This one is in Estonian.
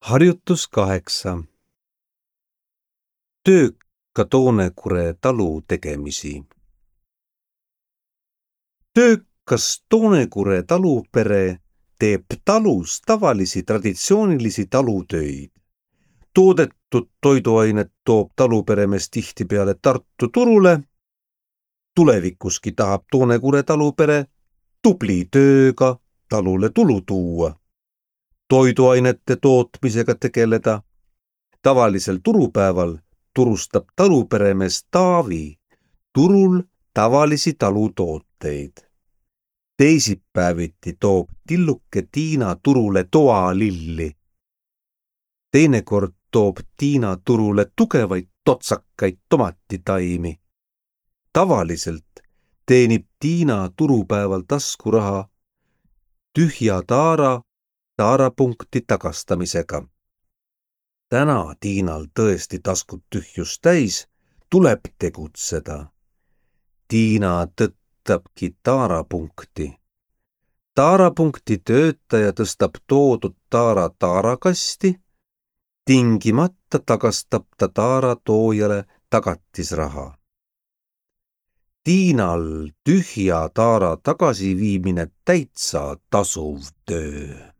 Harjutus 8. Töökka Toonekure talu tegemisi. Töökas Toonekure talupere teeb talus tavalisi traditsioonilisi talutöid. Toodetud toiduainet toob taluperemees tihtipeale Tartu turule. Tulevikuski tahab Toonekure talupere tubli tööga talule tulu tuua, toiduainete tootmisega tegeleda. Tavalisel turupäeval turustab taluperemees Taavi turul tavalisi talutooteid. Teisipäeviti toob tilluke Tiina turule toalilli. Teinekord toob Tiina turule tugevaid totsakaid tomatitaimi. Tavaliselt teenib Tiina turupäeval taskuraha tühja taarapunkti tagastamisega. Täna Tiinal tõesti taskut tühjus täis, tuleb tegutseda. Tiina tõttabki taarapunkti. Taarapunkti töötaja tõstab toodud taara taarakasti, tingimata tagastab ta taara toojale tagatisraha. Tiinal tühja taara tagasiviimine täitsa tasuv töö.